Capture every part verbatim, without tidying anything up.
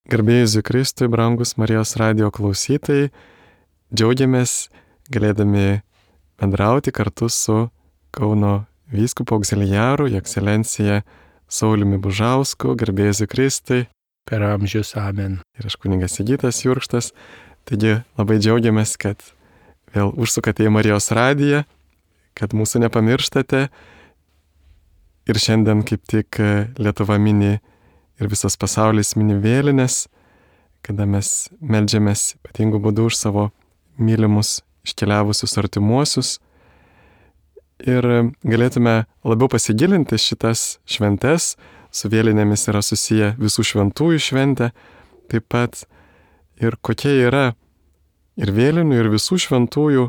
Garbė Jėzui Kristui, brangus Marijos radijo klausytojai, džiaugiamės galėdami bendrauti kartu su Kauno vyskupu auxiliaru, Jo ekscelencija Sauliumi Bužausku. Garbė Jėzui Kristui. Per amžius amen. Ir aš kunigas Sigitas Jurkštas. Taigi labai džiaugiamės, kad vėl užsukate į Marijos radiją, kad mūsų nepamirštate. Ir šiandien kaip tik Lietuva mini ir visas pasaulis mini vėlines, kada mes meldžiamės ypatingų būdų už savo mylimus iškeliavusius artimuosius. Ir galėtume labiau pasigilinti šitas šventes. Su vėlinėmis yra susiję visų šventųjų šventė, taip pat ir kokia yra ir vėlinių, ir visų šventųjų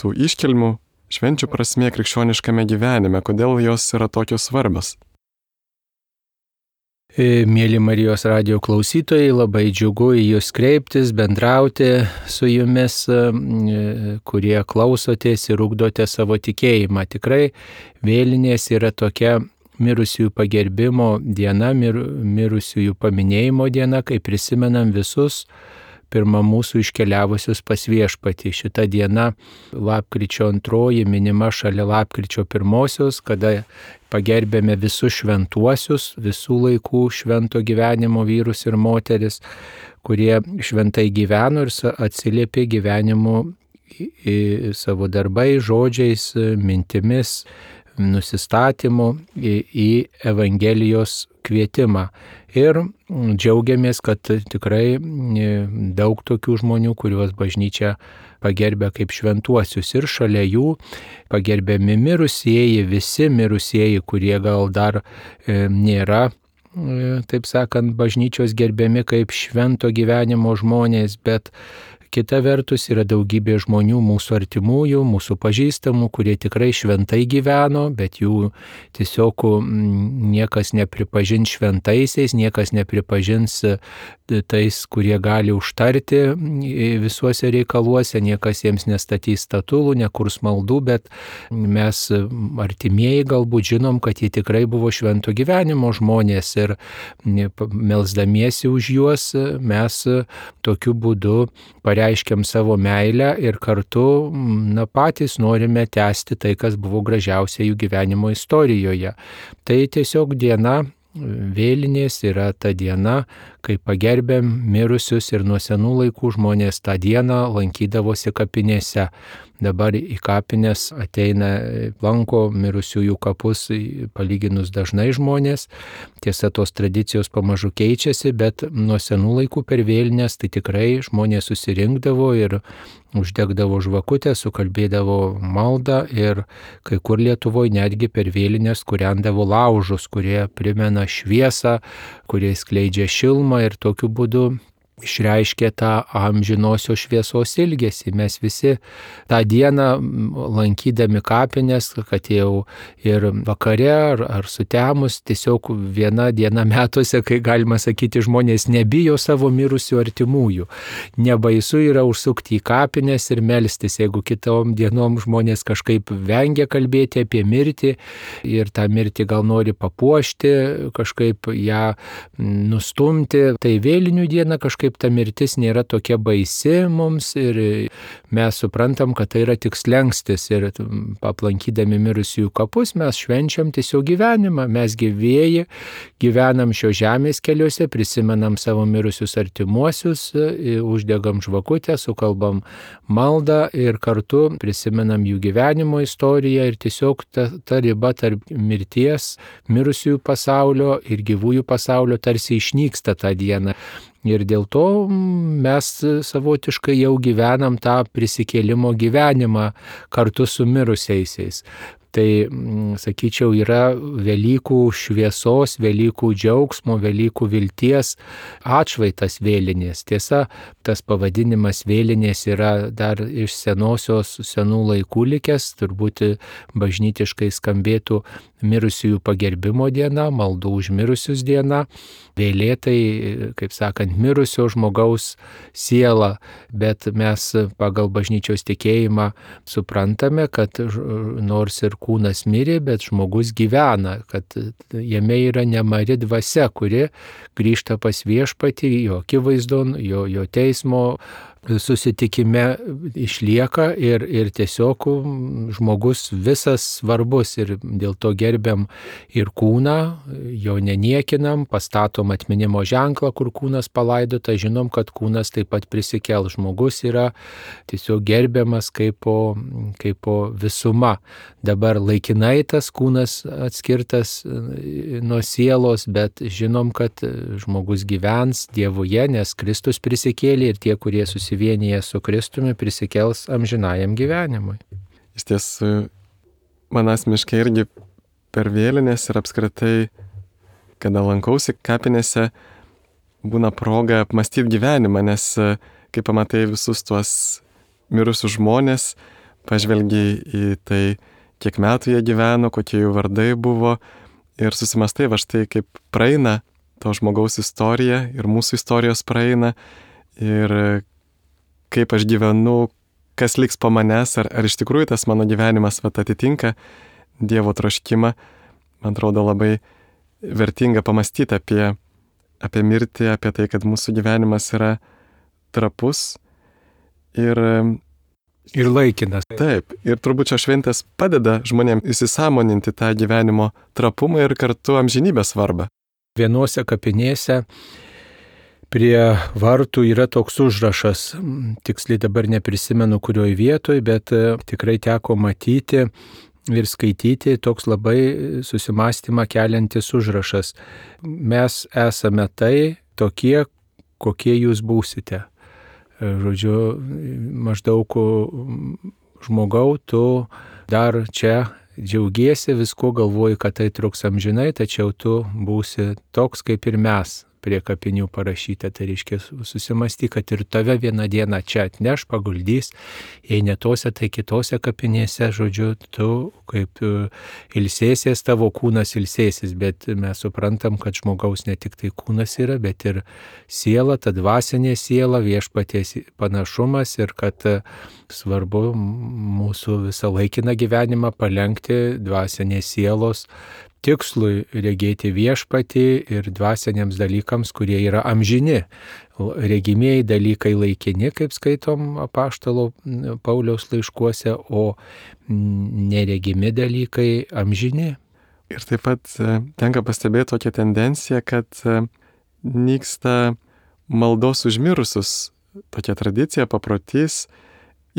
tų iškilmių švenčių prasmė krikščioniškame gyvenime, kodėl jos yra tokios svarbios. Mėly Marijos radijo klausytojai, labai džiugu į jūs kreiptis, bendrauti su jumis, kurie klausotės ir ugdote savo tikėjimą. Tikrai vėlinės yra tokia mirusiųjų pagerbimo diena, mir, mirusiųjų paminėjimo diena, kai prisimenam visus pirmą mūsų iškeliavusius pas viešpatį. Šita diena lapkričio antroji minima šalia lapkričio pirmosios, kada pagerbėme visus šventuosius, visų laikų švento gyvenimo vyrus ir moteris, kurie šventai gyveno ir atsiliepė gyvenimu į savo darbai, žodžiais, mintimis, nusistatymu į, į Evangelijos kvietimą. Ir džiaugiamės, kad tikrai daug tokių žmonių, kuriuos bažnyčia pagerbė kaip šventuosius. Ir šalia jų pagerbiami mirusieji, visi mirusieji, kurie gal dar e, nėra, e, taip sakant, bažnyčios gerbiami kaip švento gyvenimo žmonės, bet kita vertus yra daugybė žmonių, mūsų artimųjų, mūsų pažįstamų, kurie tikrai šventai gyveno, bet jų tiesiog niekas nepripažins šventaisiais, niekas nepripažins tais, kurie gali užtarti visuose reikaluose, niekas jiems nestatys statulų, nekurs maldų, bet mes artimieji galbūt žinom, kad jie tikrai buvo švento gyvenimo žmonės ir melsdamiesi už juos mes tokiu būdu pareiškiam savo meilę ir kartu na, patys norime tęsti tai, kas buvo gražiausia jų gyvenimo istorijoje. Tai tiesiog diena, vėlinės yra ta diena, kai pagerbėm mirusius ir nuo senų laikų žmonės tą dieną lankydavosi kapinėse. Dabar į kapines ateina, lanko mirusiųjų kapus palyginus dažnai žmonės. Tiesa, tos tradicijos pamažu keičiasi, bet nuo senų laikų per vėlinės tai tikrai žmonės susirinkdavo ir uždegdavo žvakutę, sukalbėdavo maldą ir kai kur Lietuvoje netgi per vėlinės kūrendavo laužus, kurie primena šviesą, kurie skleidžia šilumą ir tokiu būdu išreiškė tą amžinosios šviesos ilgesį. Mes visi tą dieną lankydami kapines, kad jau ir vakare ar, ar sutemus, tiesiog viena diena metuose, kai galima sakyti, žmonės nebijo savo mirusių artimųjų. Nebaisu yra užsukti į kapines ir melstis, jeigu kitom dienom žmonės kažkaip vengia kalbėti apie mirtį ir tą mirtį gal nori papuošti, kažkaip ją nustumti. Tai vėlinių diena kažkaip ta mirtis nėra tokia baisi mums ir mes suprantam, kad tai yra tik slengstis ir aplankydami mirusiųjų kapus mes švenčiam tiesiog gyvenimą. Mes gyvieji gyvenam šio žemės keliuose, prisimenam savo mirusius artimuosius, uždegam žvakutę, sukalbam maldą ir kartu prisimenam jų gyvenimo istoriją ir tiesiog ta, ta riba tarp mirties, mirusiųjų pasaulio ir gyvųjų pasaulio tarsi išnyksta tą dieną. Ir dėl to mes savotiškai jau gyvenam tą prisikėlimo gyvenimą kartu su mirusiaisiais. Tai, sakyčiau, yra Velykų šviesos, Velykų džiaugsmo, Velykų vilties atšvaitas vėlinės. Tiesa, tas pavadinimas vėlinės yra dar iš senosios senų laikų likęs, turbūt bažnytiškai skambėtų mirusiųjų pagerbimo diena, maldų už mirusius diena, vėlėtai, kaip sakant, mirusio žmogaus siela, bet mes pagal bažnyčios tikėjimą suprantame, kad nors ir kūnas mirė, bet žmogus gyvena, kad jame yra nemari dvasia, kuri grįžta pas viešpatį, jo akivaizdon, jo, jo teismo susitikime išlieka ir, ir tiesiog žmogus visas svarbus ir dėl to gerbiam ir kūną, jo neniekinam, pastatom atminimo ženklą, kur kūnas palaidota, žinom, kad kūnas taip pat prisikel. Žmogus yra tiesiog gerbiamas kaip po, kaip po visuma. Dabar laikinai tas kūnas atskirtas nuo sielos, bet žinom, kad žmogus gyvens Dievuje, nes Kristus prisikėlė ir tie, kurie susivienyje su Kristumi, prisikels amžinajam gyvenimui. Iš tiesų, man asmeniškai irgi per vėlinės ir apskritai, kada lankausi kapinėse, būna proga apmastyti gyvenimą, nes kai pamatai visus tuos mirusius žmonės, pažvelgiai į tai, kiek metų jie gyveno, kokie jų vardai buvo ir susimastai va štai, kaip praeina to žmogaus istorija ir mūsų istorijos praeina ir kaip aš gyvenu, kas liks po manęs, ar, ar iš tikrųjų tas mano gyvenimas vat, atitinka Dievo troškimą. Man atrodo labai vertinga pamastyti apie, apie mirtį, apie tai, kad mūsų gyvenimas yra trapus ir, ir laikinas. Taip, ir turbūt šios šventės padeda žmonėms įsisąmoninti tą gyvenimo trapumą ir kartu amžinybės svarbą. Vienuose kapinėse prie vartų yra toks užrašas, tiksliai dabar neprisimenu kurioj vietoj, bet tikrai teko matyti ir skaityti toks labai susimastymą keliantis užrašas. Mes esame tai tokie, kokie jūs būsite. Žodžiu, maždaug žmogau, tu dar čia džiaugiesi, visko galvoji, kad tai truks amžinai, tačiau tu būsi toks kaip ir mes. Prie kapinių parašyta, tai reiškia susimasty, kad ir tave vieną dieną čia atneš, paguldys, jei ne tose, tai kitose kapinėse, žodžiu, tu kaip ilsėsies, tavo kūnas ilsėsis, bet mes suprantam, kad žmogaus ne tik tai kūnas yra, bet ir siela, ta dvasinė siela, viešpaties panašumas ir kad svarbu mūsų visą laikiną gyvenimą palenkti dvasinės sielos tikslui, regėti viešpatį ir dvasiniams dalykams, kurie yra amžini. Regimieji dalykai laikini, kaip skaitom apaštalo Pauliaus laiškuose, o neregimi dalykai amžini. Ir taip pat tenka pastebėti tokią tendenciją, kad nyksta maldos užmirusius, tokia tradicija, paprotys,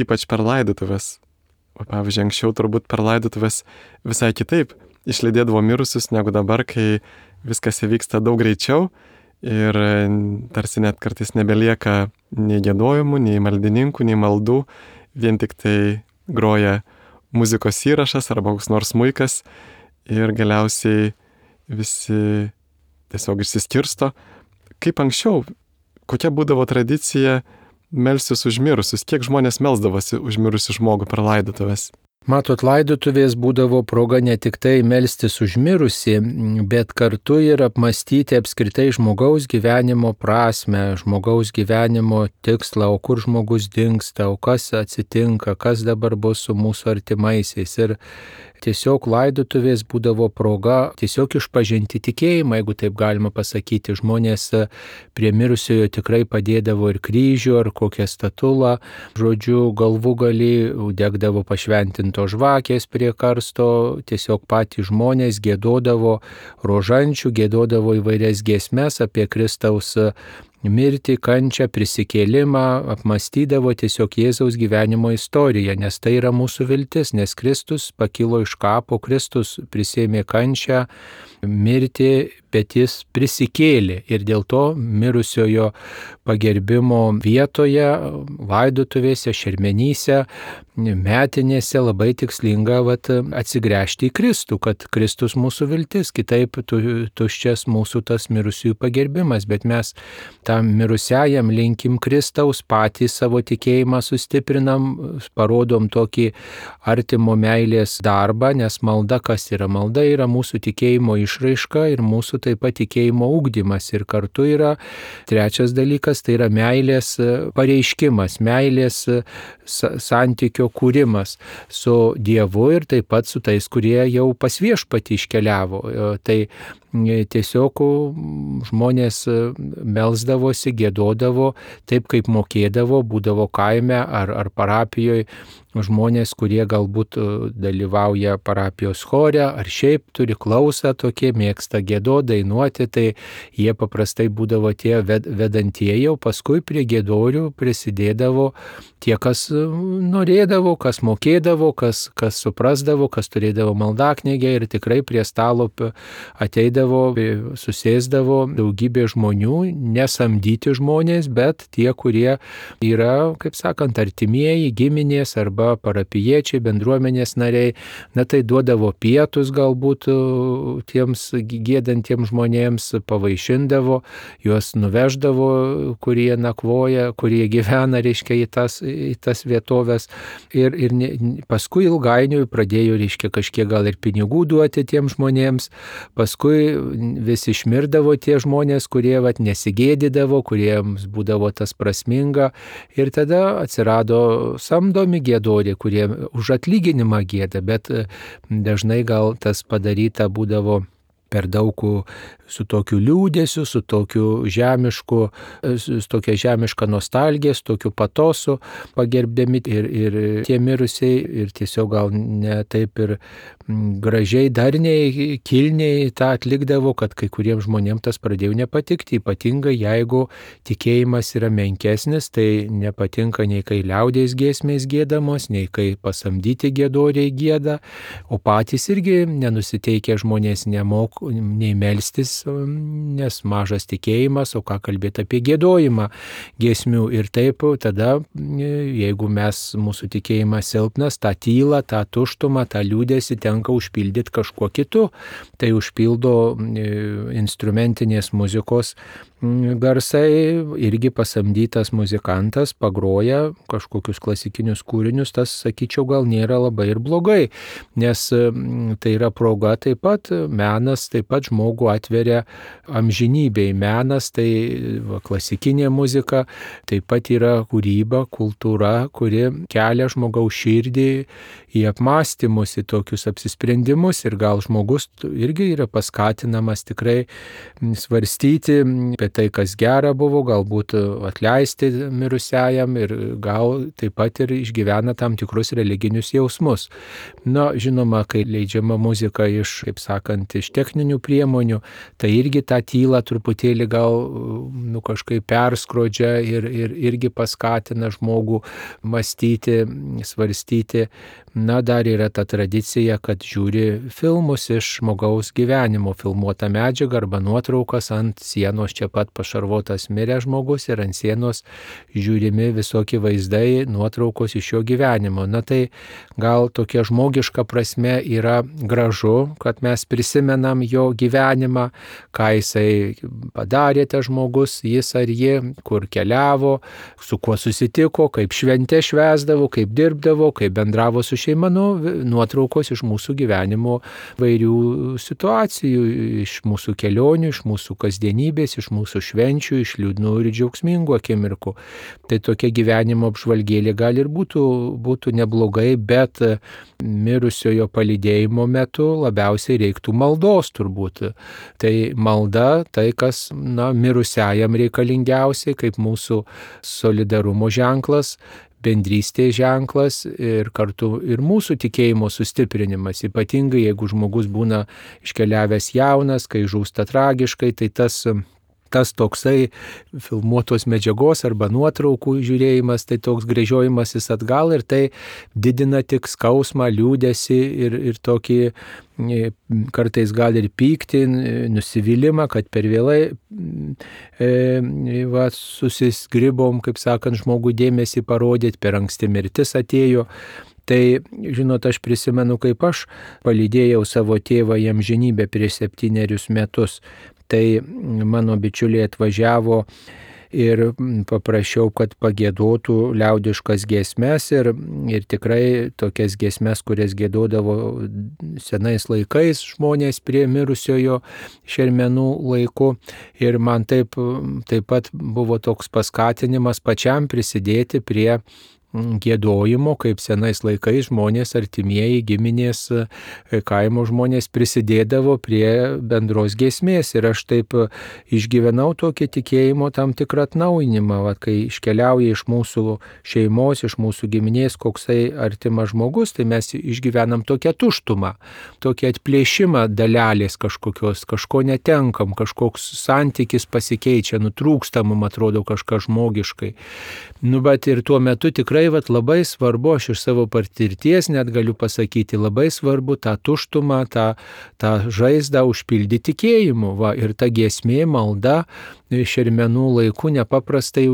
ypač per laidotuvės. O pavyzdžiui, anksčiau turbūt per laidotuvės visai kitaip išlydėdavo mirusius negu dabar, kai viskas įvyksta daug greičiau ir tarsi net kartais nebelieka nei giedojimų, nei maldininkų, nei maldų, vien tik tai groja muzikos įrašas arba koks nors smuikas ir galiausiai visi tiesiog išsiskirsto. Kaip anksčiau, kokia būdavo tradicija melstis už mirusius, kiek žmonės melsdavosi už mirusį žmogų per laidotuvės? Matot, laidotuvės būdavo proga ne tik tai melstis už mirusį, bet kartu ir apmastyti apskritai žmogaus gyvenimo prasme, žmogaus gyvenimo tikslą, o kur žmogus dingsta, o kas atsitinka, kas dabar bus su mūsų artimaisiais. Ir tiesiog laidotuvės būdavo proga tiesiog išpažinti tikėjimą, jeigu taip galima pasakyti. Žmonės prie mirusiojo tikrai padėdavo ir kryžių, ar kokią statulą, žodžiu, galvūgalį, degdavo pašventinto žvakės prie karsto, tiesiog patys žmonės giedodavo rožančių, giedodavo įvairias giesmes apie Kristaus mirtį, kančią, prisikėlimą, apmastydavo tiesiog Jėzaus gyvenimo istoriją, nes tai yra mūsų viltis, nes Kristus pakilo iš kapo, Kristus prisėmė kančią, mirtį, bet jis prisikėlė ir dėl to mirusiojo pagerbimo vietoje, laidotuvėse, šermenyse, metinėse labai tikslinga vat, atsigręžti į Kristų, kad Kristus mūsų viltis, kitaip tu, tuščias mūsų tas mirusiųjų pagerbimas, bet mes tam mirusiajam linkim Kristaus, patys savo tikėjimą sustiprinam, parodom tokį artimo meilės darbą, nes malda kas yra? Malda yra mūsų tikėjimo išraiška. išraiška ir mūsų taip pat tikėjimo ugdymas. Ir kartu yra trečias dalykas, tai yra meilės pareiškimas, meilės santykio kūrimas su Dievu ir taip pat su tais, kurie jau pas Viešpatį iškeliavo. Tai tiesiog žmonės melsdavosi, giedodavo taip, kaip mokėdavo, būdavo kaime ar, ar parapijoje žmonės, kurie galbūt dalyvauja parapijos chore ar šiaip turi klausą tokie, mėgsta giedoti, dainuoti, tai jie paprastai būdavo tie vedantieji, o paskui prie giedorių prisidėdavo tie, kas norėdavo, kas mokėdavo, kas, kas suprasdavo, kas turėdavo maldaknygę ir tikrai prie stalo ateidavo, susėsdavo daugybė žmonių, nesamdyti žmonės, bet tie, kurie yra, kaip sakant, artimieji, giminės arba parapijiečiai, bendruomenės nariai, na tai duodavo pietus galbūt tiems giedantiems žmonėms, pavaišindavo, juos nuveždavo, kurie nakvoja, kurie gyvena, reiškia, į tas, į tas vietovės ir, ir ne, paskui ilgainiui pradėjo, reiškia, kažkiek gal ir pinigų duoti tiems žmonėms, paskui vis išmirdavo tie žmonės, kurie vat, nesigėdydavo, kuriems būdavo tas prasminga ir tada atsirado samdomi giedoriai, kurie už atlyginimą gieda, bet dažnai gal tas padaryta būdavo per daug su tokiu liūdėsiu, su tokiu žemišku, su tokia žemiška nostalgija, su tokiu patosu pagerbdami ir, ir tie mirusiai ir tiesiog gal ne taip ir gražiai, darniai, kilniai tą atlikdavo, kad kai kuriems žmonėms tas pradėjo nepatikti, ypatingai jeigu tikėjimas yra menkesnis, tai nepatinka nei kai liaudies giesmės giedamos, nei kai pasamdyti giedoriai gieda, o patys irgi nenusiteikę žmonės nemok, nei melstis, nes mažas tikėjimas, o ką kalbėti apie giedojimą giesmių ir taip, tada jeigu mes, mūsų tikėjimas silpnas, tą tylą, tą tuštumą, tą liūdėsi tenka užpildyti kažkuo kitu, tai užpildo instrumentinės muzikos garsai, irgi pasamdytas muzikantas pagroja kažkokius klasikinius kūrinius, tas, sakyčiau, gal nėra labai ir blogai, nes tai yra proga taip pat, menas taip pat žmogų atveria amžinybei, menas tai va, klasikinė muzika, taip pat yra kūryba, kultūra, kuri kelia žmogaus širdį į apmąstymus, į tokius apsisprendimus ir gal žmogus irgi yra paskatinamas tikrai svarstyti apie tai, kas gera buvo, galbūt atleisti mirusiajam ir gal taip pat ir išgyvena tam tikrus religinius jausmus. Na, žinoma, kai leidžiama muzika iš, kaip sakant, iš techninių priemonių, tai irgi tą tylą truputėlį gal nu, kažkaip perskrodžia ir, ir irgi paskatina žmogų mąstyti, svarstyti. Na, dar yra ta tradicija, kad žiūri filmus iš žmogaus gyvenimo, filmuotą medžiagą arba nuotraukas ant sienos čia pat pašarvotas miręs žmogus ir ant sienos žiūrimi visokie vaizdai, nuotraukos iš jo gyvenimo. Na tai gal tokia žmogiška prasme yra gražu, kad mes prisimenam jo gyvenimą, ką jisai padarė tas žmogus, jis ar ji, kur keliavo, su kuo susitiko, kaip šventė švęsdavo, kaip dirbdavo, kaip bendravo su šeima, nu, nuotraukos iš mūsų gyvenimo vairių situacijų, iš mūsų kelionių, iš mūsų kasdienybės, iš mūsų švenčių, iš liūdnų ir džiaugsmingų akimirkų. Tai tokia gyvenimo apžvalgėlė gal ir būtų, būtų neblogai, bet mirusiojo palydėjimo metu labiausiai reiktų maldos turbūt. Tai malda, tai kas, na, mirusiajam reikalingiausiai, kaip mūsų solidarumo ženklas, bendrystės ženklas ir kartu ir mūsų tikėjimo sustiprinimas. Ypatingai, jeigu žmogus būna iškeliavęs jaunas, kai žūsta tragiškai, tai tas, tas toksai filmuotos medžiagos arba nuotraukų žiūrėjimas, tai toks gręžiojimasis atgal ir tai didina tik skausmą, liūdesį ir, ir tokį kartais gal ir pyktį, nusivylimą, kad per vėlai e, va, susisgribom, kaip sakant, žmogų dėmesį parodyti, per anksti mirtis atėjo. Tai, žinot, aš prisimenu, kaip aš palydėjau savo tėvą į amžinybę prieš septynerius metus. Tai mano bičiuliai atvažiavo ir paprašiau, kad pagiedotų liaudiškas giesmes ir, ir tikrai tokias giesmes, kurias giedodavo senais laikais žmonės prie mirusiojo šermenų laiku. Ir man taip, taip pat buvo toks paskatinimas pačiam prisidėti prie giedojimo, kaip senais laikais žmonės, artimieji, giminės, kaimo žmonės prisidėdavo prie bendros giesmės. Ir aš taip išgyvenau tokį tikėjimo tam tikrą atnaujinimą, va, kai iškeliauja iš mūsų šeimos, iš mūsų giminės koksai artimas žmogus, tai mes išgyvenam tokią tuštumą, tokį atplėšimą dalelės kažkokios, kažko netenkam, kažkoks santykis pasikeičia, nutrūksta, mums atrodo kažkas žmogiškai. Nu, bet ir tuo metu tikrai vat, labai svarbu, aš iš savo patirties net galiu pasakyti, labai svarbu tą tuštumą, tą, tą žaizdą užpildyti tikėjimu. Va, ir ta giesmė, malda šermenų laiku nepaprastai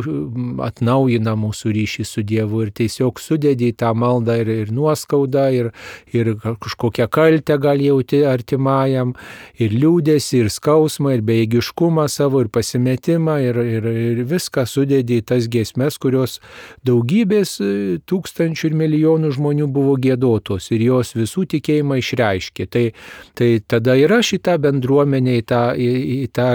atnaujina mūsų ryšį su Dievu ir tiesiog sudedi į tą maldą ir, ir nuoskaudą, ir, ir kažkokią kaltę gal jauti artimajam, ir liūdėsi, ir skausmą, ir bejėgiškumą savo, ir pasimetimą, ir, ir, ir viską sudedi į tas giesmes, kurios daugybės tūkstančių ir milijonų žmonių buvo giedotos ir jos visų tikėjimą išreiškė. Tai, tai tada ir aš į tą bendruomenę, į tą, į, į tą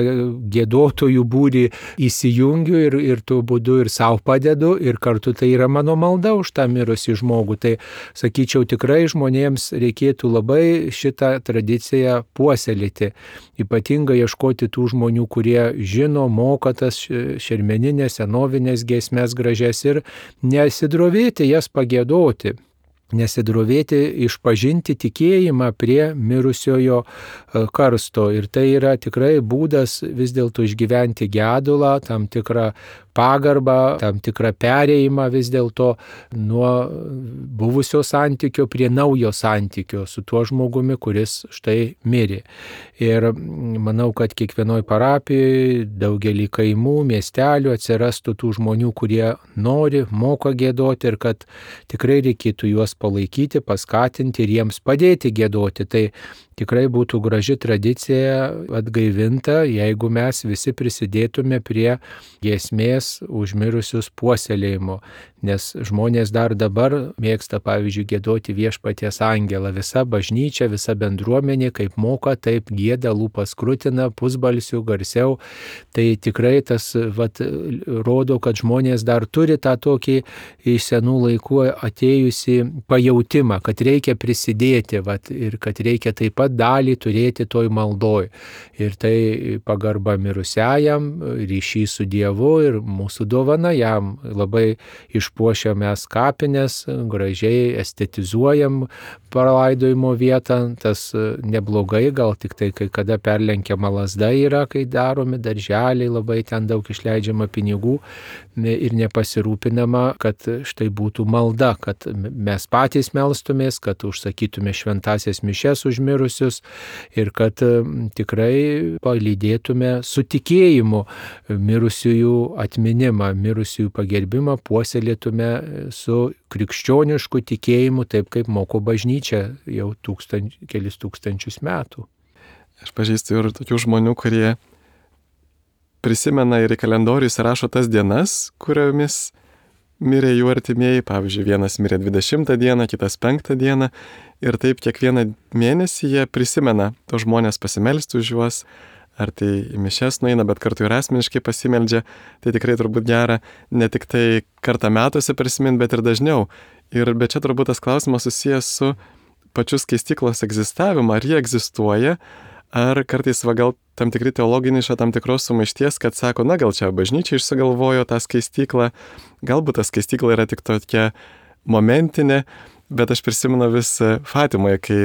giedotojų būrį įsijungiu ir, ir tuo būdu ir savo padedu ir kartu tai yra mano malda už tą mirusį žmogų. Tai sakyčiau, tikrai žmonėms reikėtų labai šitą tradiciją puoselėti, ypatingai ieškoti tų žmonių, kurie žino, moka tas šermeninės, senovinės giesmes gražias ir nesidrovėti jas pagiedoti. Nesidrovėti išpažinti tikėjimą prie mirusiojo karsto. Ir tai yra tikrai būdas vis dėlto išgyventi gedulą, tam tikrą pagarbą, tam tikrą perėjimą vis dėlto nuo buvusio santykio prie naujo santykio su tuo žmogumi, kuris štai mirė. Ir manau, kad kiekvienoj parapijoje, daugelį kaimų, miestelių atsirastų tų žmonių, kurie nori, moka giedoti ir kad tikrai reikėtų juos palaikyti, paskatinti ir jiems padėti giedoti. Tai tikrai būtų graži tradicija atgaivinta, jeigu mes visi prisidėtume prie giesmės užmirusius puoselėjimo. Nes žmonės dar dabar mėgsta, pavyzdžiui, giedoti Viešpaties angelą. Visa bažnyčia, visa bendruomenė, kaip moka, taip gieda, lūpas krutina, pusbalsių, garsiau. Tai tikrai tas vat, rodo, kad žmonės dar turi tą tokį iš senų laikų atėjusi pajautimą, kad reikia prisidėti vat, ir kad reikia taip pat dalį turėti toj maldoj. Ir tai pagarba mirusiajam, ryšys su Dievu ir mūsų dovana jam. Labai išpuošiam mes kapines, gražiai estetizuojam palaidojimo vietą, tas neblogai, gal tik tai kai kada perlenkiama lazda yra, kai daromi darželiai, labai ten daug išleidžiama pinigų ir nepasirūpinama, kad štai būtų malda, kad mes patys melstumės, kad užsakytume šventasias mišias užmirusius ir kad tikrai palydėtume su tikėjimu mirusiųjų atminimą, mirusiųjų pagerbimą, puoselėtume su krikščionišku tikėjimu, taip kaip moko bažnyčia jau tūkstanč, kelis tūkstančius metų. Aš pažįstu ir tokių žmonių, kurie prisimena ir į kalendorių įsirašo tas dienas, kuriomis mirė jų artimieji. Pavyzdžiui, vienas mirė dvidešimtą dieną, kitas penktą dieną. Ir taip kiekvieną mėnesį jie prisimena tos žmonės pasimelsti už juos, ar tai į mišias nueina, bet kartu ir asmeniškai pasimeldžia. Tai tikrai turbūt gera ne tik tai kartą metuose prisiminti, bet ir dažniau. Ir bet čia turbūt tas klausimas susijęs su pačiu skaistyklos egzistavimu, ar jie egzistuoja, ar kartais va gal tam tikri teologiniai iš tam tikros sumaišties, kad sako, na gal čia bažnyčia išsigalvojo tą skaistyklą, galbūt ta skaistykla yra tik tokia momentinė, bet aš prisimenu vis Fatimoje, kai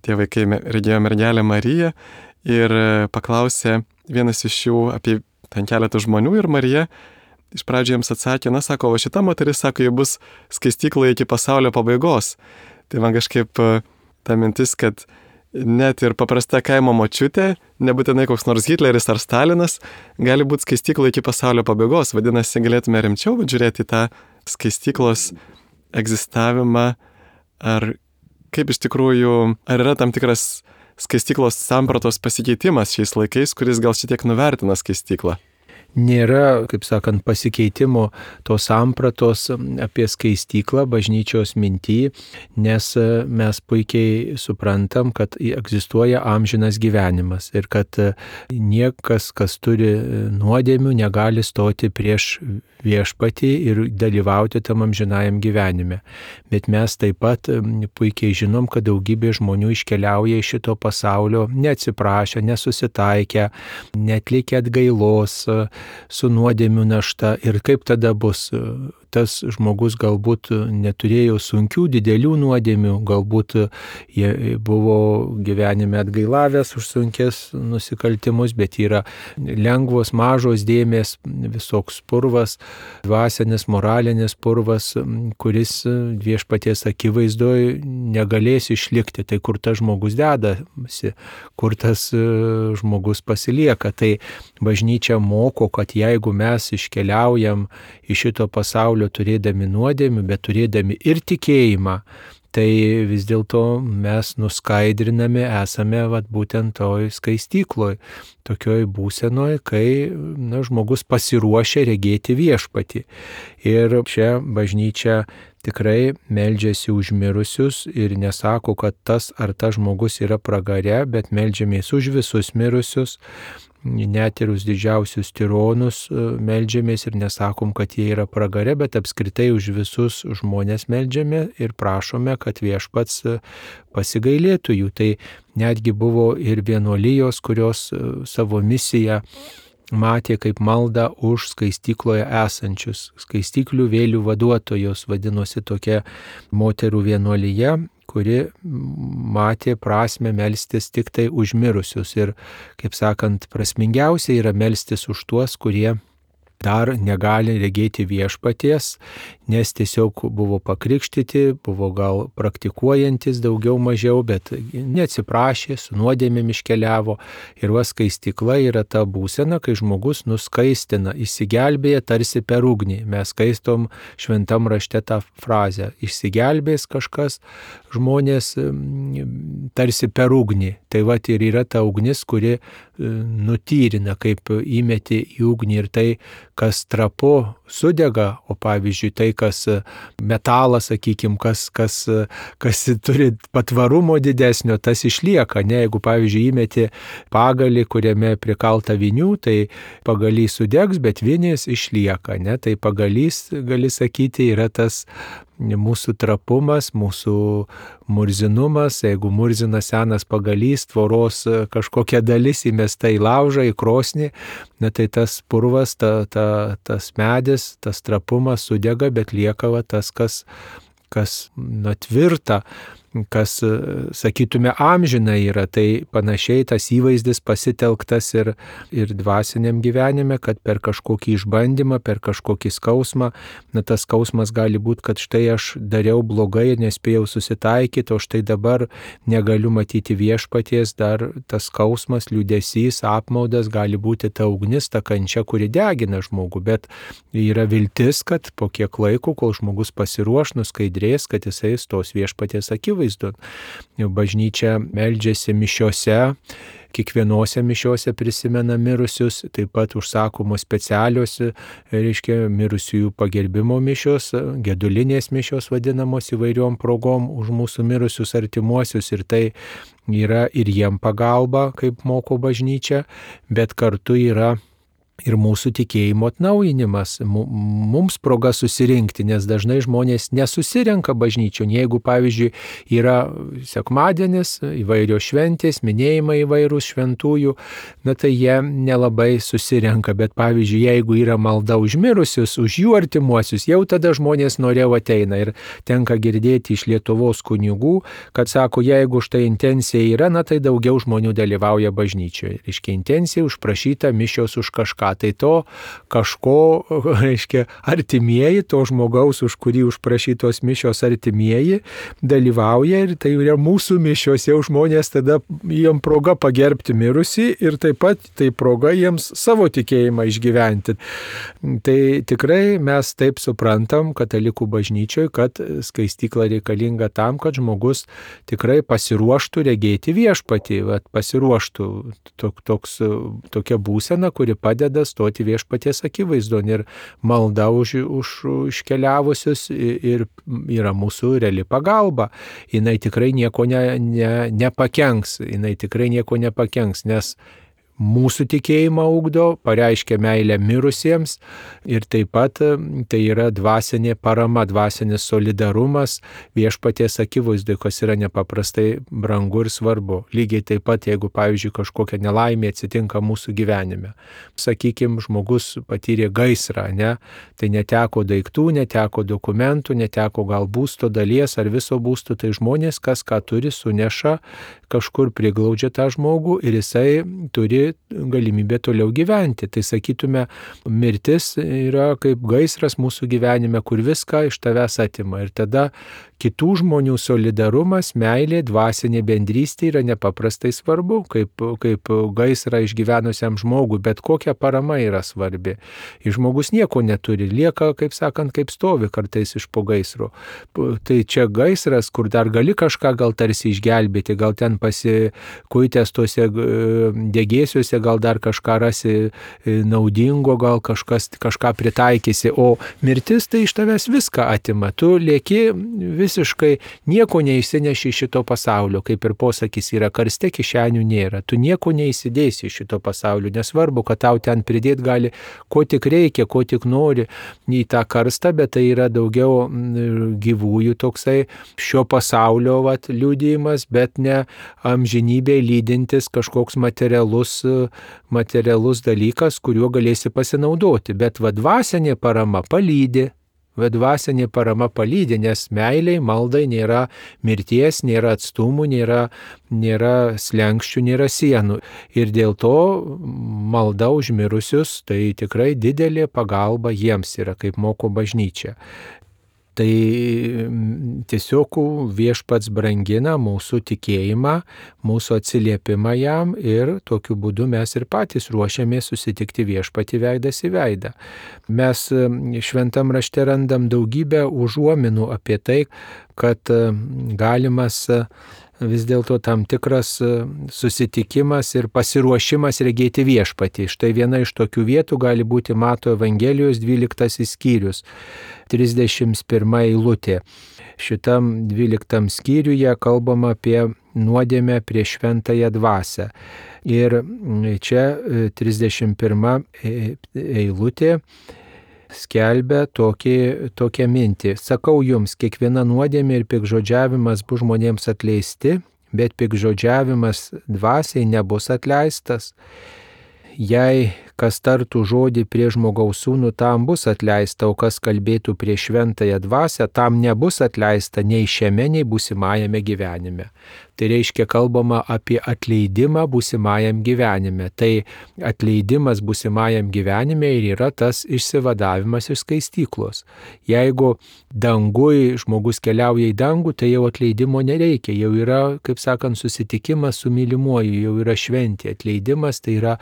tie vaikai regėjo mergelę Mariją ir paklausė vienas iš jų apie ten keletą žmonių ir Marija iš pradžių jiems atsakė, na sako, o šita moteris, sako, ji bus skaistykloje iki pasaulio pabaigos. Tai man kažkaip ta mintis, kad net ir paprasta kaimo močiutė, nebūtinai koks nors Hitleris ar Stalinas, gali būti skaistykloje iki pasaulio pabaigos. Vadinasi, galėtume rimčiau žiūrėti tą skaistyklos egzistavimą, ar kaip iš tikrųjų, ar yra tam tikras skaistyklos sampratos pasikeitimas šiais laikais, kuris gal šitiek nuvertina skaistyklą. nėra, kaip sakant, pasikeitimo tos sampratos apie skaistyklą bažnyčios minty, nes mes puikiai suprantam, kad egzistuoja amžinas gyvenimas ir kad niekas, kas turi nuodėmių, negali stoti prieš viešpatį ir dalyvauti tam amžinajam gyvenime. Bet mes taip pat puikiai žinom, kad daugybė žmonių iškeliauja iš šito pasaulio neatsiprašę, nesusitaikę, netlikę atgailos su nuodėmių našta. Ir kaip tada bus? Tas žmogus galbūt neturėjo sunkių, didelių nuodėmių, galbūt jie buvo gyvenime atgailavęs už sunkės nusikaltimus, bet yra lengvos, mažos dėmės, visoks purvas, dvasinis, moralinis purvas, kuris viešpaties akivaizdoje negalės išlikti. Tai kur tas žmogus dedasi, kur tas žmogus pasilieka. Tai bažnyčia moko, kad jeigu mes iškeliaujam iš šito pasaulio turėdami nuodėmių, bet turėdami ir tikėjimą, tai vis dėlto mes nuskaidrinami esame vat, būtent toj skaistykloj, tokioj būsenoj, kai na, žmogus pasiruošia regėti viešpatį. Ir čia bažnyčia tikrai meldžiasi už mirusius ir nesako, kad tas ar tas žmogus yra pragare, bet meldžiamės už visus mirusius, net ir už didžiausius tironus meldžiamės ir nesakom, kad jie yra pragare, bet apskritai už visus žmonės meldžiame ir prašome, kad viešpats pasigailėtų jų. Tai netgi buvo ir vienuolijos, kurios savo misiją matė kaip maldą už skaistykloje esančius. Skaistyklių vėlių vaduotojos vadinosi tokia moterų vienuolija, kuri matė prasme melstis tik tai už mirusius. Ir, kaip sakant, prasmingiausia yra melstis už tuos, kurie dar negali regėti viešpaties, nes tiesiog buvo pakrikštyti, buvo gal praktikuojantis daugiau mažiau, bet neatsiprašė, su nuodėmėm iškeliavo. Ir va skaistykla yra ta būsena, kai žmogus nuskaistina, išsigelbėja tarsi per ugnį. Mes skaistom šventam rašte tą frazę. Išsigelbės kažkas, žmonės tarsi per ugnį. Tai va ir yra ta ugnis, kuri nutyrina, kaip įmeti į ugnį ir tai, kas trapu sudega, o pavyzdžiui tai, kas metalas, sakykime, kas, kas, kas turi patvarumo didesnio, tas išlieka. Ne, jeigu pavyzdžiui įmeti pagalį, kuriame prikalta vinių, tai pagalys sudegs, bet vinys išlieka. Ne? Tai pagalys, gali sakyti, yra tas mūsų trapumas, mūsų murzinumas. Jeigu murzina senas pagalys, tvoros kažkokia dalis įmesta į laužą, į krosnį, na, tai tas purvas, ta, ta, tas medis, tas trapumas sudega, bet lieka va, tas, kas, kas na, tvirta, kas, sakytume, amžina yra. Tai panašiai tas įvaizdis pasitelktas ir, ir dvasiniam gyvenime, kad per kažkokį išbandymą, per kažkokį skausmą, na tas skausmas gali būti, kad štai aš dariau blogai, nespėjau susitaikyti, o štai dabar negaliu matyti viešpaties, dar tas skausmas, liūdesys, apmaudas gali būti ta ugnis, ta kančia, kuri degina žmogų, bet yra viltis, kad po kiek laiko, kol žmogus pasiruoš, nuskaidrės, kad jisai stos viešpaties akivaizdon. Bažnyčia meldžiasi mišiose, kiekvienose mišiose prisimena mirusius, taip pat užsakomos specialios, reiškia, mirusiųjų pagerbimo mišios, gedulinės mišios vadinamos įvairiom progom už mūsų mirusius artimuosius, ir tai yra ir jiem pagalba, kaip moko bažnyčia, bet kartu yra ir mūsų tikėjimo atnaujinimas, mums proga susirinkti, nes dažnai žmonės nesusirenka bažnyčion. Jeigu, pavyzdžiui, yra sekmadienis, įvairios šventės, minėjimai įvairūs šventųjų, na tai jie nelabai susirenka, bet, pavyzdžiui, jeigu yra malda už mirusius, už jų artimuosius, jau tada žmonės noriau ateina. Ir tenka girdėti iš Lietuvos kunigų, kad sako, jeigu štai intencija yra, na tai daugiau žmonių dalyvauja bažnyčioje. Reiškia, intencija užprašyta mišios už kažką. Tai to kažko, reiškia, artimieji, to žmogaus, už kurį užprašytos mišios artimieji, dalyvauja, ir tai yra mūsų mišios, jau žmonės tada jiem proga pagerbti mirusį ir taip pat tai proga jiems savo tikėjimą išgyventi. Tai tikrai mes taip suprantam katalikų bažnyčioje, kad skaistykla reikalinga tam, kad žmogus tikrai pasiruoštų regėti viešpatį, vat, pasiruoštų tok, toks, tokia būsena, kuri padeda tada stoti viešpaties akivaizdon ir malda už, už iškeliavusius ir yra mūsų reali pagalba. Jinai tikrai nieko ne, ne, nepakenks, jinai tikrai nieko nepakenks, nes mūsų tikėjimą ugdo, pareiškia meilę mirusiems ir taip pat tai yra dvasinė parama, dvasinis solidarumas viešpaties akivaizdui, kas yra nepaprastai brangu ir svarbu. Lygiai taip pat, jeigu, pavyzdžiui, kažkokia nelaimė atsitinka mūsų gyvenime. Sakykime, žmogus patyrė gaisrą, ne? Tai neteko daiktų, neteko dokumentų, neteko gal būsto dalies ar viso būsto, tai žmonės, kas ką turi, suneša, kažkur priglaudžia tą žmogų ir jisai turi galimybę toliau gyventi. Tai sakytume, mirtis yra kaip gaisras mūsų gyvenime, kur viską iš tavęs atima. Ir tada kitų žmonių solidarumas, meilė, dvasinė bendrystė yra nepaprastai svarbu, kaip, kaip gaisrą išgyvenusiam žmogui, bet kokia parama yra svarbi. Ir žmogus nieko neturi, lieka, kaip sakant, kaip stovi kartais iš po gaisro. Tai čia gaisras, kur dar gali kažką gal tarsi išgelbėti, gal ten pasikuitęs tuose degėsiuose, gal dar kažką rasi naudingo, gal kažkas, kažką pritaikysi, o mirtis tai iš tavęs viską atima. Tu lieki visiškai nieko neįsineši iš šito pasaulio, kaip ir posakis yra, karste kišenių nėra. Tu nieko neįsidėsi iš šito pasaulio, nesvarbu, kad tau ten pridėti gali, ko tik reikia, ko tik nori į tą karstą, bet tai yra daugiau gyvųjų toksai šio pasaulio vat, liudijimas, bet ne amžinybėje lydintis kažkoks materialus, materialus dalykas, kuriuo galėsi pasinaudoti. Bet va dvasinė parama palydi. Dvasinė parama palydi, nes meiliai, maldai nėra mirties, nėra atstumų, nėra, nėra slenkščių, nėra sienų. Ir dėl to malda už mirusius tai tikrai didelė pagalba jiems yra, kaip moko bažnyčia. Tai tiesiog viešpats brangina mūsų tikėjimą, mūsų atsiliepimą jam ir tokiu būdu mes ir patys ruošiamės susitikti viešpatį veidas į veidą. Mes šventam rašte randam daugybę užuominų apie tai, kad galimas vis dėlto tam tikras susitikimas ir pasiruošimas regėti viešpatį. Štai viena iš tokių vietų gali būti Mato Evangelijos dvyliktasis skyrius, trisdešimt pirma eilutė. Šitam dvyliktam skyriuje kalbama apie nuodėmę prieš šventąją dvasią. Ir čia trisdešimt pirma eilutė skelbia tokį, tokią mintį. Sakau jums, kiekviena nuodėmė ir piktžodžiavimas bus žmonėms atleisti, bet piktžodžiavimas dvasiai nebus atleistas. Jei kas tartų žodį prie žmogaus sūnų, tam bus atleista, o kas kalbėtų prie šventąją dvasią, tam nebus atleista nei šiame, nei būsimajame gyvenime. Tai reiškia kalbama apie atleidimą būsimajam gyvenime. Tai atleidimas būsimajam gyvenime ir yra tas išsivadavimas iš skaistyklos. Jeigu dangui žmogus keliauja į dangų, tai jau atleidimo nereikia. Jau yra, kaip sakant, susitikimas su mylimuoju, jau yra šventė. Atleidimas tai yra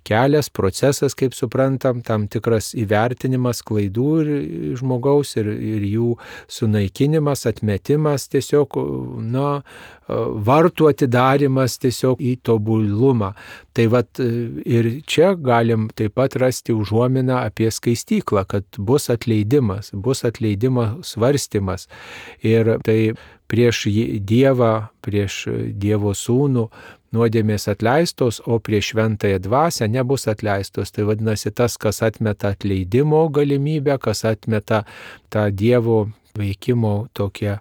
kelias, procesas, kaip suprantam, tam tikras įvertinimas klaidų ir žmogaus ir, ir jų sunaikinimas, atmetimas, tiesiog, na, vartų atidarimas tiesiog į tobulumą. Tai vat ir čia galim taip pat rasti užuominą apie skaistyklą, kad bus atleidimas, bus atleidimo svarstymas. Ir tai prieš Dievą, prieš Dievo sūnų nuodėmės atleistos, o prieš šventąją dvasią nebus atleistos. Tai vadinasi tas, kas atmeta atleidimo galimybę, kas atmeta tą Dievo veikimo tokią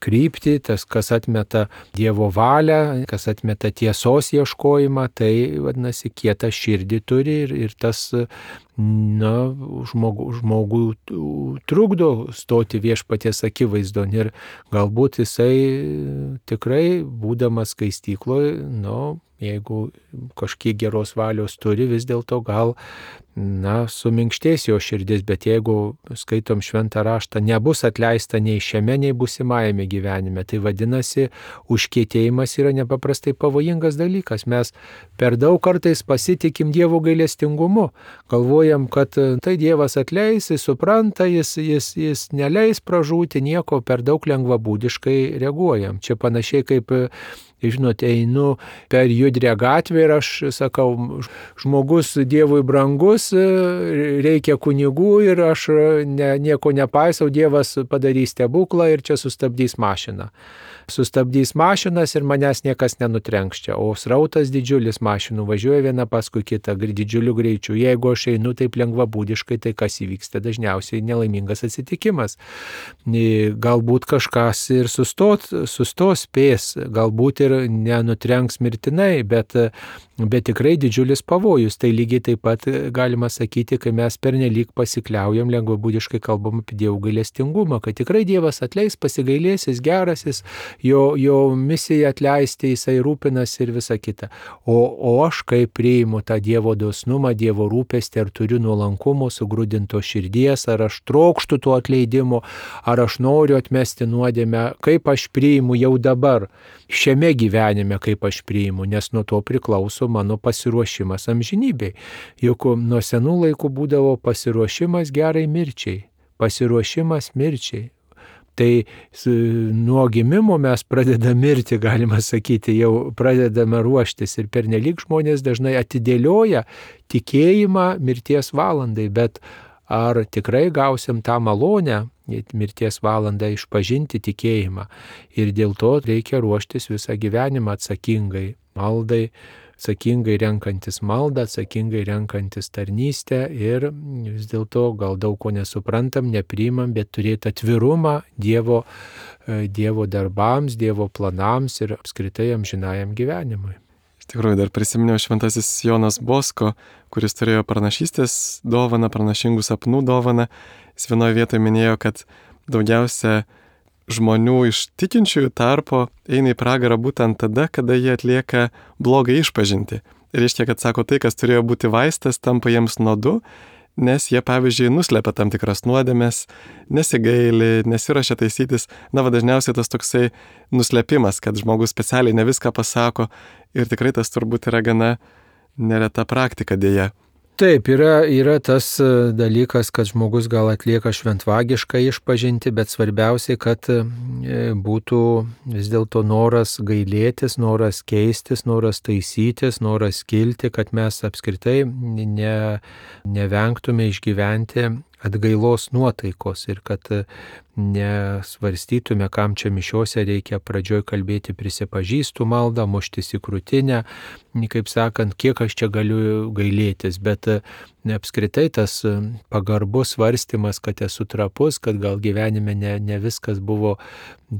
kryptį, tas, kas atmeta Dievo valią, kas atmeta tiesos ieškojimą, tai vadinasi kietą širdį turi ir, ir tas na, žmogų, žmogų trukdo stoti viešpaties akivaizdon ir galbūt jisai tikrai, būdamas skaistykloje, nu, jeigu kažkiek geros valios turi, vis dėlto gal, na, suminkštės jo širdis, bet jeigu skaitom šventą raštą, nebus atleista nei šiame, nei būsimajame gyvenime. Tai vadinasi, užkietėjimas yra nepaprastai pavojingas dalykas. Mes per daug kartais pasitikim Dievo gailestingumu. Galvojam, kad tai Dievas atleis, jis supranta, jis, jis, jis neleis pražūti, nieko, per daug lengvabūdiškai reaguojam. Čia panašiai kaip žinote, einu per judrę gatvę ir aš sakau, žmogus Dievui brangus, reikia kunigų ir aš ne, nieko nepaisau, Dievas padarys stebuklą ir čia sustabdys mašiną. Sustabdys mašinas ir manęs niekas nenutrenks čia, o srautas didžiulis mašinų važiuoja viena paskui kitą didžiuliu greičiu. Jeigu aš einu taip lengvabūdiškai, tai kas įvyksta? Dažniausiai nelaimingas atsitikimas. Galbūt kažkas ir sustot, sustos spės, galbūt ir nenutrenks mirtinai, bet, bet tikrai didžiulis pavojus. Tai lygiai taip pat galima sakyti, kai mes pernelyg pasikliaujam, lengvabūdiškai kalbam apie Dievo gailestingumą, kad tikrai Dievas atleis, pasigailės, jis geras, jis Jo, jo misija atleisti, jisai rūpinas ir visa kita. O, o aš kaip priimu tą Dievo dosnumą, Dievo rūpestį, ar turiu nuolankumo, sugrūdinto širdies, ar aš trokštu to atleidimo, ar aš noriu atmesti nuodėmę, kaip aš priimu jau dabar, šiame gyvenime, kaip aš priimu, nes nuo to priklauso mano pasiruošimas amžinybei. Juk nuo senų laikų būdavo pasiruošimas gerai mirčiai, pasiruošimas mirčiai. Tai nuo gimimo mes pradedame mirti, galima sakyti, jau pradedame ruoštis ir pernelyg žmonės dažnai atidėlioja tikėjimą mirties valandai, bet ar tikrai gausim tą malonę mirties valandą išpažinti tikėjimą ir dėl to reikia ruoštis visą gyvenimą atsakingai maldai, atsakingai renkantis maldą, atsakingai renkantis tarnystę ir vis dėlto gal daug ko nesuprantam, nepriimam, bet turėti atvirumą Dievo, Dievo darbams, Dievo planams ir apskritai amžinajam gyvenimui. Iš tikrųjų, dar prisiminiau šventasis Jonas Bosko, kuris turėjo pranašystės dovaną, pranašingų sapnų dovaną. Jis vienoje vietoje minėjo, kad daugiausia žmonių iš tikinčiųjų tarpo eina į pragarą būtent tada, kada jie atlieka blogą išpažintį. Ir reiškia, kad sako, tai, kas turėjo būti vaistas, tampa jiems nuodu, nes jie, pavyzdžiui, nuslepia tam tikras nuodėmes, nesigaili, nesiruošia taisytis. Na, va, dažniausiai tas toksai nuslepimas, kad žmogus specialiai ne viską pasako ir tikrai tas turbūt yra gana nereta praktika dėja. Taip, yra, yra tas dalykas, kad žmogus gal atlieka šventvagišką išpažinti, bet svarbiausiai, kad būtų vis dėlto noras gailėtis, noras keistis, noras taisytis, noras kilti, kad mes apskritai ne, nevengtume išgyventi atgailos nuotaikos ir kad nesvarstytume, kam čia mišiose reikia pradžioj kalbėti prisipažįstų maldą, muštis į krūtinę, kaip sakant, kiek aš čia galiu gailėtis, bet apskritai tas pagarbus svarstymas, kad esu trapus, kad gal gyvenime ne, ne viskas buvo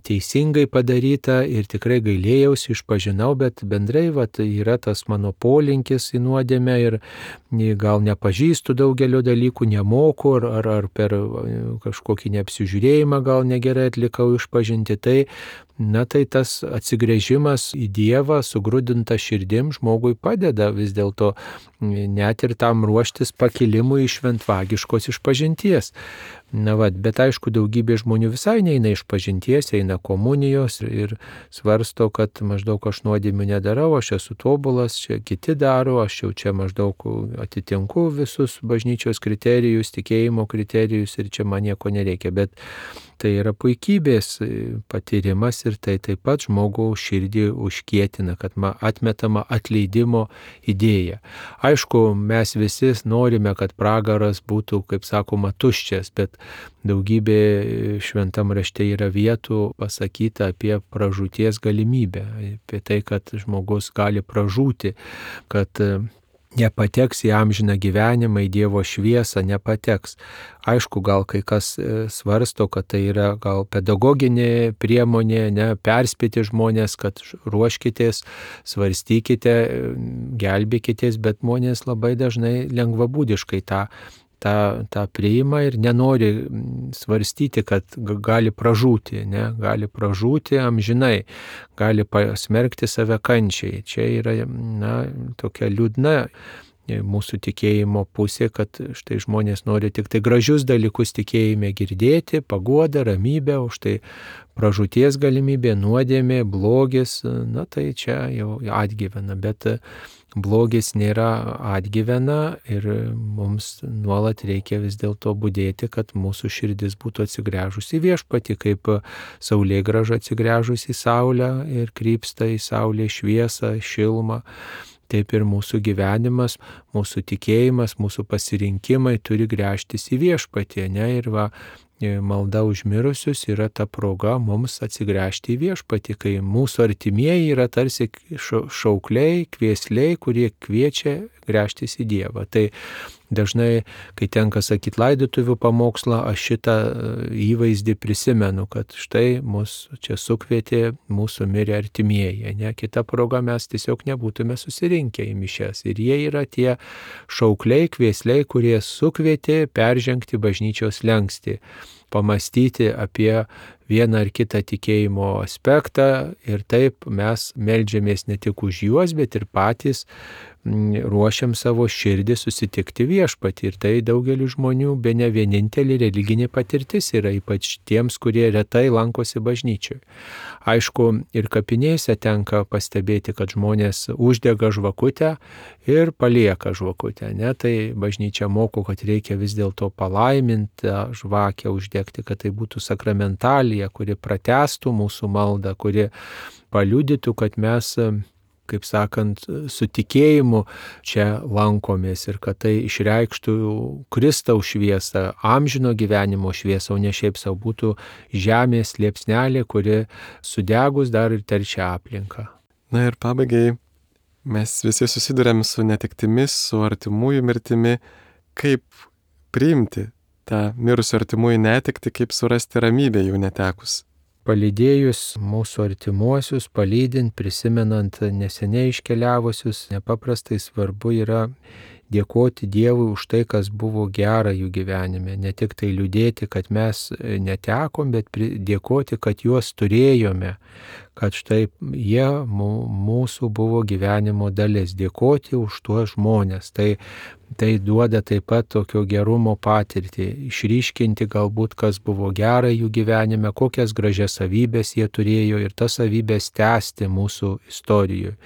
teisingai padaryta ir tikrai gailėjausi, išpažinau, bet bendrai vat, yra tas mano polinkis į nuodėmę ir gal nepažįstu daugelio dalykų, nemoku ar, ar, ar per kažkokį neapsižiūrėjimą gal negerai atlikau išpažinti, tai na tai tas atsigręžimas į Dievą, sugrūdinta širdim žmogui padeda vis dėlto net ir tam ruoštis pakilimui iš šventvagiškos išpažinties. Na va, bet aišku, daugybė žmonių visai neina išpažinties, eina komunijos ir svarsto, kad maždaug aš nuodėmių nedarau, aš esu tobulas, čia kiti daro, aš jau čia maždaug atitinku visus bažnyčios kriterijus, tikėjimo kriterijus ir čia man nieko nereikia, bet tai yra puikybės patyrimas ir tai taip pat žmogaus širdį užkietina, kad atmetama atleidimo idėja. Aišku, mes visi norime, kad pragaras būtų, kaip sakoma, tuščias, bet daugybė šventam rašte yra vietų pasakyta apie pražūties galimybę, apie tai, kad žmogus gali pražūti, kad nepateks į amžiną gyvenimą, į Dievo šviesą, nepateks. Aišku, gal kai kas svarsto, kad tai yra gal pedagoginė priemonė, ne, perspėti žmonės, kad ruoškitės, svarstykite, gelbėkitės, bet žmonės labai dažnai lengvabūdiškai tą tą, tą priima ir nenori svarstyti, kad gali pražūti, ne, gali pražūti amžinai, gali pasmerkti save kančiai. Čia yra, na, tokia liūdna mūsų tikėjimo pusė, kad štai žmonės nori tik tai gražius dalykus tikėjime girdėti, paguodą, ramybę, už tai pražūties galimybė, nuodėmė, blogis, na tai čia jau atgyvena, bet blogis nėra atgyvena ir mums nuolat reikia vis dėlto budėti, kad mūsų širdis būtų atsigręžusi į viešpatį, kaip saulėgrąža atsigręžusi į saulę ir krypsta į saulės šviesą, šilumą. Taip ir mūsų gyvenimas, mūsų tikėjimas, mūsų pasirinkimai turi gręžtis į viešpatį, ne? Ir va, malda už mirusius yra ta proga mums atsigręžti į viešpatį, kai mūsų artimieji yra tarsi šaukliai, kviesliai, kurie kviečia gręžtis į Dievą. Tai dažnai, kai tenka sakyti laidotuvių pamokslą, aš šitą įvaizdį prisimenu, kad štai mus čia sukvietė mūsų mirę artimieji. Ne? Kita proga mes tiesiog nebūtume susirinkę į mišias. Ir jie yra tie šaukliai, kviesliai, kurie sukvietė peržengti bažnyčios slenkstį, pamastyti apie vieną ar kitą tikėjimo aspektą ir taip mes meldžiamės ne tik už juos, bet ir patys ruošiam savo širdį susitikti viešpatį. Ir tai daugeliu žmonių bene vienintelė religinė patirtis yra, ypač tiems, kurie retai lankosi bažnyčioje. Aišku, ir kapinėse tenka pastebėti, kad žmonės uždega žvakutę ir palieka žvakutę. Ne? Tai bažnyčia moko, kad reikia vis dėlto palaiminti žvakę uždegti, kad tai būtų sakramentalija, kuri pratęstų mūsų maldą, kuri paliudytų, kad mes, kaip sakant, su tikėjimu čia lankomės ir kad tai išreikštų Kristaus šviesą, amžino gyvenimo šviesą, o ne šiaip savo būtų žemės liepsnelė, kuri sudegus dar ir teršia aplinką. Na ir pabaigai, mes visi susidurėm su netektimis, su artimųjų mirtimi. Kaip priimti tą mirusių artimųjų netektį, kaip surasti ramybę jų netekus? Palydėjus mūsų artimuosius, palydint, prisimenant neseniai iškeliavusius, nepaprastai svarbu yra dėkoti Dievui už tai, kas buvo gera jų gyvenime. Ne tik tai liūdėti, kad mes netekom, bet dėkoti, kad juos turėjome, kad štai jie mūsų buvo gyvenimo dalis. Dėkoti už tuos žmonės. Tai Tai duoda taip pat tokio gerumo patirtį, išryškinti galbūt, kas buvo gera jų gyvenime, kokias gražias savybės jie turėjo ir tas savybės tęsti mūsų istorijoje.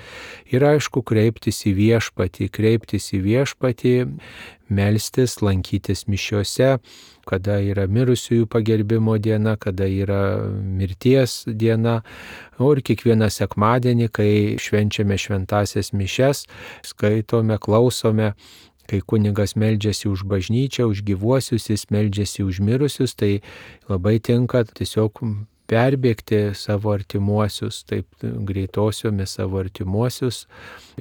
Ir aišku, kreiptis į viešpatį, kreiptis į viešpatį, melstis, lankytis mišiose, kada yra mirusiųjų pagerbimo diena, kada yra mirties diena, o ir kiekvieną sekmadienį, kai švenčiame šventasias mišias, skaitome, klausome, kai kunigas meldžiasi už bažnyčią, už gyvuosius, jis meldžiasi už mirusius, tai labai tinka tiesiog perbėgti savo artimuosius, taip greitosiomis savo artimuosius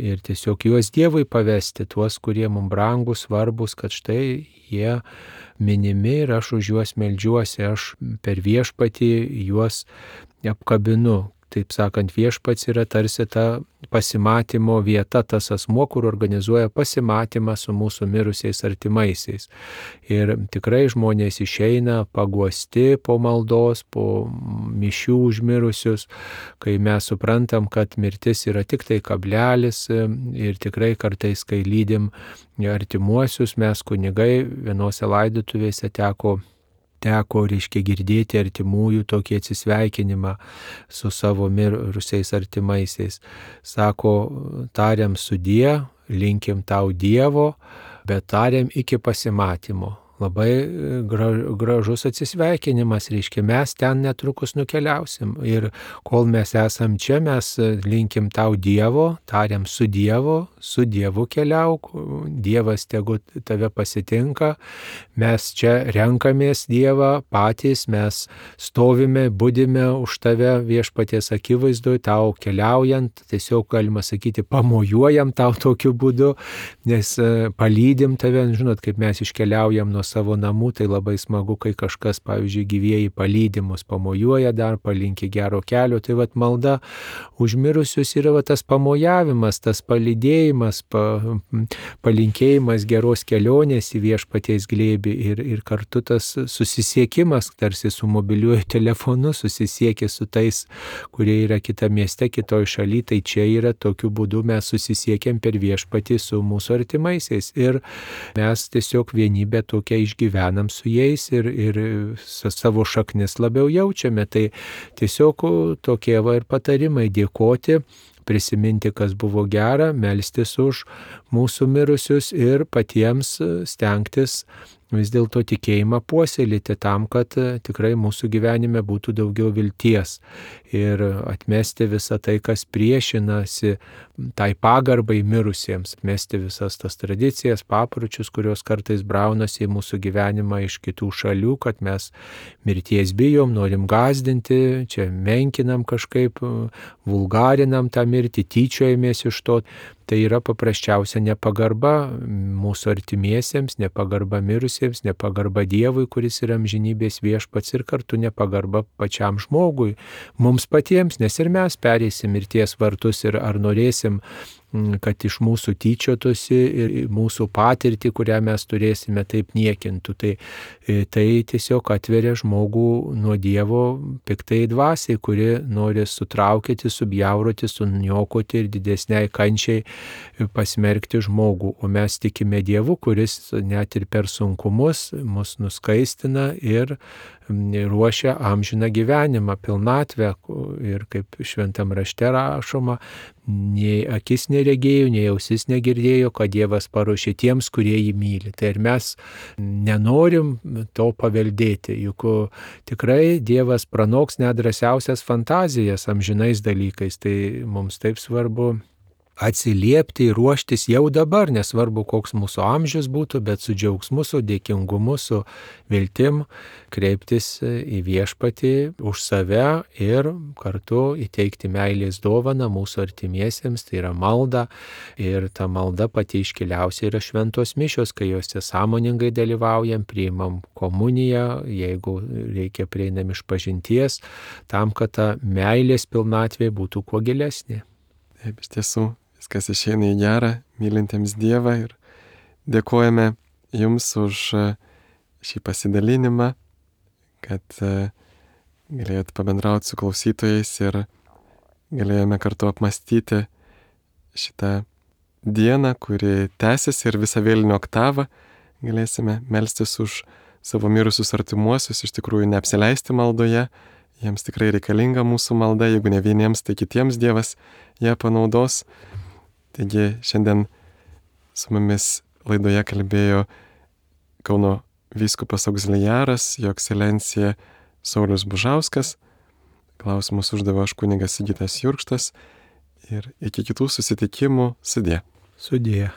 ir tiesiog juos Dievui pavesti, tuos, kurie mums brangus, svarbus, kad štai jie minimi ir aš už juos meldžiuosi, aš per viešpatį juos apkabinu. Taip sakant, viešpats yra tarsi ta pasimatymo vieta, tas asmuo, kur organizuoja pasimatymą su mūsų mirusiais artimaisiais. Ir tikrai žmonės išeina paguosti po maldos, po mišių už mirusius, kai mes suprantam, kad mirtis yra tik tai kablelis ir tikrai kartais, kai lydim artimuosius, mes kunigai vienose laidotuvėse teko teko, reiškia, girdėti artimųjų tokį atsisveikinimą su savo mirusiais artimaisiais. Sako, tariam sudie, linkim tau Dievo, bet tariam iki pasimatymo. Labai gražus atsisveikinimas, reiškia, mes ten netrukus nukeliausim. Ir kol mes esam čia, mes linkim tau Dievo, tariam su Dievo, su Dievu keliauk, Dievas tegu tave pasitinka, mes čia renkamės Dievą patys, mes stovime, budime už tave viešpaties akivaizdoje, tau keliaujant, tiesiog galima sakyti, pamojuojam tau tokiu būdu, nes palydim tave, žinot, kaip mes iškeliaujam nuo savo namų, tai labai smagu, kai kažkas, pavyzdžiui, gyvieji palydimus pamojuoja dar, palinki gero kelio, tai vat malda už mirusius yra vat tas pamojavimas, tas palydėjimas, pa, palinkėjimas geros kelionės į viešpaties glėbį ir, ir kartu tas susisiekimas, tarsi su mobiliuoju telefonu susisiekė su tais, kurie yra kita mieste, kitoj šaly, tai čia yra tokiu būdu mes susisiekėm per viešpatį su mūsų artimaisiais ir mes tiesiog vienybę tokią išgyvenam su jais ir, ir savo šaknis labiau jaučiame. Tai tiesiog tokie va ir patarimai dėkoti, prisiminti, kas buvo gera, melstis už mūsų mirusius ir patiems stengtis vis dėlto tikėjimą puoselėti tam, kad tikrai mūsų gyvenime būtų daugiau vilties ir atmesti visą tai, kas priešinasi tai pagarbai mirusiems, atmesti visas tas tradicijas, papročius, kurios kartais braunasi į mūsų gyvenimą iš kitų šalių, kad mes mirties bijom, norim gąsdinti, čia menkinam kažkaip, vulgarinam tą mirtį, tyčiojamės iš to. Tai yra paprasčiausia nepagarba mūsų artimiesiems, nepagarba mirusiems, nepagarba Dievui, kuris yra amžinybės viešpats ir kartu nepagarba pačiam žmogui, mums patiems, nes ir mes pereisim mirties vartus ir ar norėsim, kad iš mūsų tyčiotųsi ir mūsų patirtį, kurią mes turėsime, taip niekintų. Tai, tai tiesiog atveria žmogų nuo Dievo piktai dvasiai, kuri nori sutraukyti, subjauroti, suniokoti ir didesniai kančiai pasmerkti žmogų. O mes tikime Dievu, kuris net ir per sunkumus mus nuskaistina ir ruošia amžiną gyvenimą, pilnatvę. Ir kaip šventam rašte rašoma, nei akis neregėjo, nei ausis negirdėjo, kad Dievas paruošė tiems, kurie jį myli. Tai ir mes nenorim to paveldėti, juk tikrai Dievas pranoks nedrąsiausias fantazijas amžinais dalykais. Tai mums taip svarbu atsiliepti ir ruoštis jau dabar, nesvarbu koks mūsų amžius būtų, bet su džiaugsmu, su dėkingumu, su viltim kreiptis į viešpatį už save ir kartu įteikti meilės dovaną mūsų artimiesiems, tai yra malda. Ir ta malda pati iškiliausia yra šventos mišios, kai juose sąmoningai dalyvaujam, priimam komuniją, jeigu reikia prieinam išpažinties, tam, kad ta meilės pilnatvė būtų kuo gilesnė. Taip, iš tiesų. Viskas išeina į gerą, mylintiems Dievą ir dėkojame Jums už šį pasidalinimą, kad galėjot pabendrauti su klausytojais ir galėjome kartu apmastyti šitą dieną, kuri tęsiasi ir visą vėlinio oktavą galėsime melstis už savo mirusius artimuosius, iš tikrųjų neapsileisti maldoje, jiems tikrai reikalinga mūsų malda, jeigu ne vieniems, tai kitiems Dievas ją panaudos. Taigi šiandien su mumis laidoje kalbėjo Kauno vyskupas auxiliaras, jo ekscelencija Saulius Bužauskas. Klausimus uždavė aš kunigas Sigitas Jurkštas ir iki kitų susitikimų sudie. Sudie.